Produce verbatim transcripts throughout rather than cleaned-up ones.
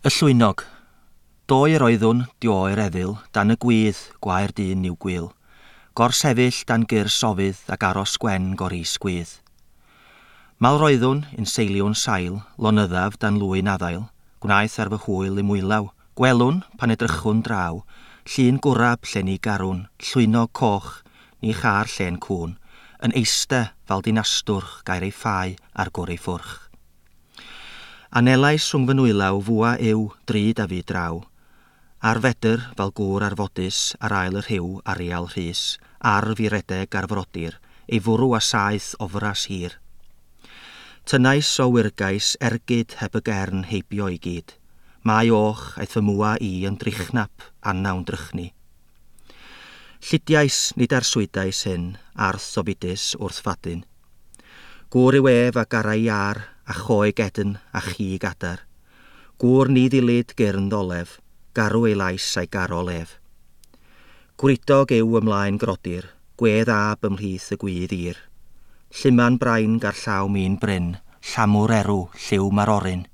Y llwynog. Doe yr oeddwn, dio'r efil, dan y gwydd, gwae'r dyn i'w gwyl. Gorsefyll dan gyr sofydd ac aros gwen goris gwydd. Mal roeddwn, yn seiliwn sail, lonyddaf dan lwyn addail, gwnaeth ar fy hwyl i mwylaw, gwelwn, pan edrychwn draw, llun gwrab lle ni garwn, llwynog coch, ni char lle'n cwn, yn eiste fel dinastwrch gair ei ffau ar gwr ei ffwrch. Anelais rhwng fy nwylaw fwa yw drud a fi draw. Ar fedr fel gŵr arfodus ar ail y rhyw arial rhys, arf i redeg ar frodyr, ei fwrw a saeth ofras hir. Tynnais o wyrgais ergyd heb y gern heibio i gyd. Mae och aeth fy mwa i yn drychnap anawn drychni. Llidiais nid arswydais hyn, arth ofidus wrth fadyn. Gŵr yw ef a garai iar, a choe gedyn a chig adar. Gŵr ni ddilyd gyrn ddolef, garw ei lais a'i garol ef. Gwridog yw ymlaen grodir, gwedd ab ymhlith y gwydd ir. Lluman brain gar llaw min bryn, llamwr erw, lliw marorin.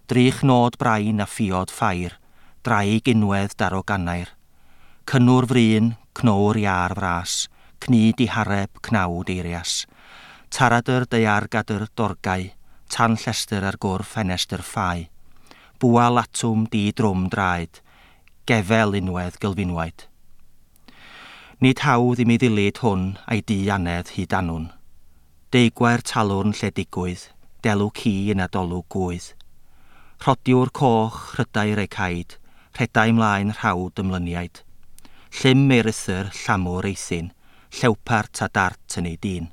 Drych nod brain a ffiod ffair, draig unwedd daro gannair. Cynnwr fryn, cnowr iar fras, cnu dihareb, cnawd eirias. Taradr daeargadr dorgau, tan llestr ar gwr ffenestr ffau. Bwa latwm di drwm draed, gefel unwedd gylfinwaid. Nid hawdd i mi ddilyd hwn a'i di anedd hyd anwn. Deigwair talwrn lle digwydd, delw ci yn adolwg gwydd. Rhodiwr coch rhydau ei caid, rhedau mlaen rhawd ymlyniaid. Llym ei rythyr, llamwr eithin, llewpart a dart yn ei dyn.